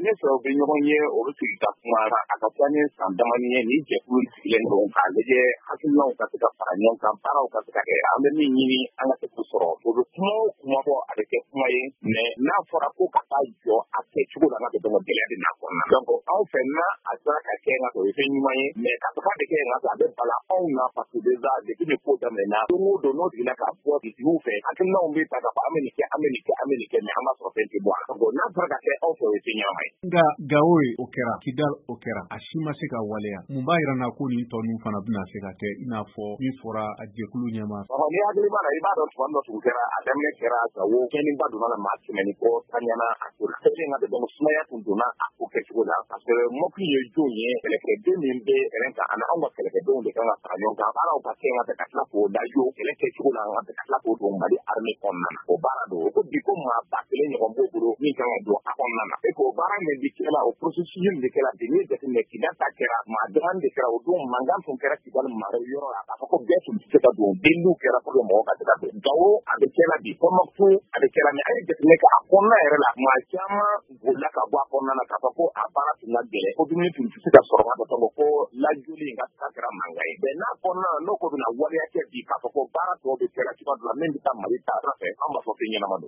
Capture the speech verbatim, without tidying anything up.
Ne fɛ u bɛ ɲɔgɔn ye, o bɛ sigi ka kuma. A ka ca ni san damani ye ni jɛkulu sigilen don k'a lajɛ hakilinaw ka se ka fara ɲɔgɔn kan, baaraw ka se ka kɛ. An bɛ min ɲini, an ka se k'o sɔrɔ. O bɛ kuma o kuma fɔ, a bɛ kɛ kuma ye, mais n'a fɔra ko ka taa jɔ a kɛcogo la, ka dɔn gɛlɛya bɛ n'a kɔnɔna. Donc anw fɛ, n'a a sera ka kɛ, o ye fɛn ɲuman ye, mais k'a fɔ k'a bɛ kɛ, a bɛ bala anw na, parce que déjà depuis ni ko daminɛna, don o don n'o jiginna k'a fɔ dugutigiw fɛ, hakilinaw bɛ ta k'a fɔ an bɛ nin kɛ, an bɛ nin kɛ, an bɛ nin kɛ, mais an b'a sɔrɔ fɛn tɛ bɔ a la. Donc n'a fɔra ka kɛ anw fɛ, o ye fɛn ɲɛnama ye. Nka Gawo ye, o kɛra Kidal, o kɛra, a si ma se ka waleya. Mun b'a yira na ko nin tɔ ninnu fana bɛna se ka kɛ, i n'a fɔ min fɔra a jɛkulu ɲɛma? Ni hakili b'a la, i b'a dɔn tuma dɔ tun kɛra, a daminɛ kɛra Gawo, tiɲɛniba donna la, maa kɛmɛ ni kɔ taɲana a ko la. Kɛlen ka donc sumaya tun donna a ko kɛcogo la, parce que M O P ye jɔn ye? Kɛlɛkɛden min bɛ terrain kan ani anw ka kɛlɛkɛdenw de kan ka fara ɲɔgɔn kan, baaraw ka kɛ ka tila k'o lajɔ kɛlɛ kɛcogo la, ka tila k'o don Mali armée kɔnɔna na. O baara don, o ko bi ko maa ba kelen ɲɔgɔn b'o bolo min kan ka don a kɔnɔna na. E k'o baara min bi kɛla, o processus min bɛ kɛla bi, n'i ye jateminɛ, Kidal ta kɛra, maa damanin de kɛra o don. Mankan tun kɛra Kidal mara yɔrɔ la k'a fɔ ko bɛɛ tun tɛ se ka don, deliliw kɛra pour que mɔgɔw ka se ka don. Gawo a bɛ kɛla bi, Tɔnbukutu a bɛ kɛla, mais a ye jateminɛ kɛ a kɔnɔna yɛrɛ la, maa caman bolila ka bɔ a kɔnɔna na k'a fɔ ko a baara tun ka gɛlɛn, ko dumuni tun tɛ se ka sɔrɔ ka fɔ ko lajoli in ka kɛra mankan ye. Mais n'a kɔnɔna na, n'o ko bɛna waleya kɛ bi, k'a fɔ ko baara tɔw bɛ kɛla cogoya dɔ la min bɛ taa Mali ta fɛ, an b'a fɔ fɛn ɲɛnama don.